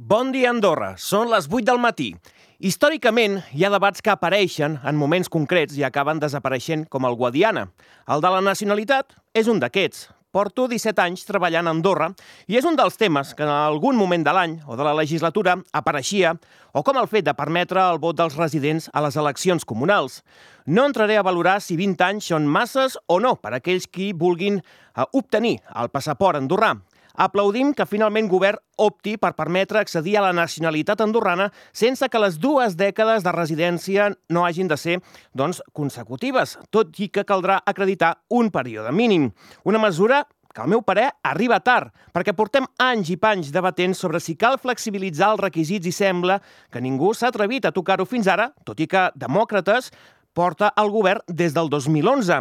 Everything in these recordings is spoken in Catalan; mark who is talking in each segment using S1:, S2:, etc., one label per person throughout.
S1: Bon dia, Andorra. Són les 8 del matí. Històricament, hi ha debats que apareixen en moments concrets i acaben desapareixent, com el Guadiana. El de la nacionalitat és un d'aquests. Porto 17 anys treballant a Andorra i és un dels temes que en algun moment de l'any o de la legislatura apareixia, o com el fet de permetre el vot dels residents a les eleccions comunals. No entraré a valorar si 20 anys són masses o no per a aquells qui vulguin obtenir el passaport andorrà. Aplaudim que finalment govern opti per permetre accedir a la nacionalitat andorrana sense que les 2 dècades de residència no hagin de ser, consecutives, tot i que caldrà acreditar un període mínim. Una mesura que, al meu parer, arriba tard, perquè portem anys i panys debatent sobre si cal flexibilitzar els requisits i sembla que ningú s'ha atrevit a tocar-ho fins ara, tot i que demòcrates porta el govern des del 2011.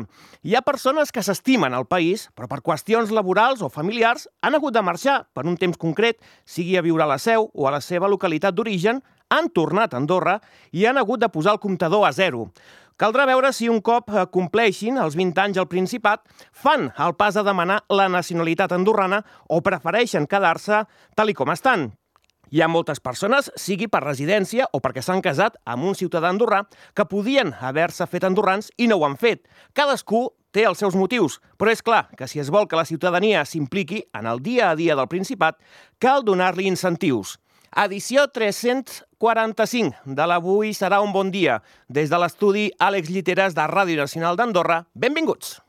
S1: Hi ha persones que s'estimen al país, però per qüestions laborals o familiars han hagut de marxar per un temps concret, sigui a viure a la Seu o a la seva localitat d'origen, han tornat a Andorra i han hagut de posar el comptador a zero. Caldrà veure si un cop compleixin els 20 anys al Principat, fan el pas a demanar la nacionalitat andorrana o prefereixen quedar-se tal i com estan. Hi ha moltes persones, sigui per residència o perquè s'han casat amb un ciutadà andorrà, que podien haver-se fet andorrans i no ho han fet. Cadascú té els seus motius, però és clar que si es vol que la ciutadania s'impliqui en el dia a dia del Principat, cal donar-li incentius. Edició 345 de l'Avui serà un bon dia. Des de l'estudi Àlex Lliteres de Ràdio Nacional d'Andorra, benvinguts!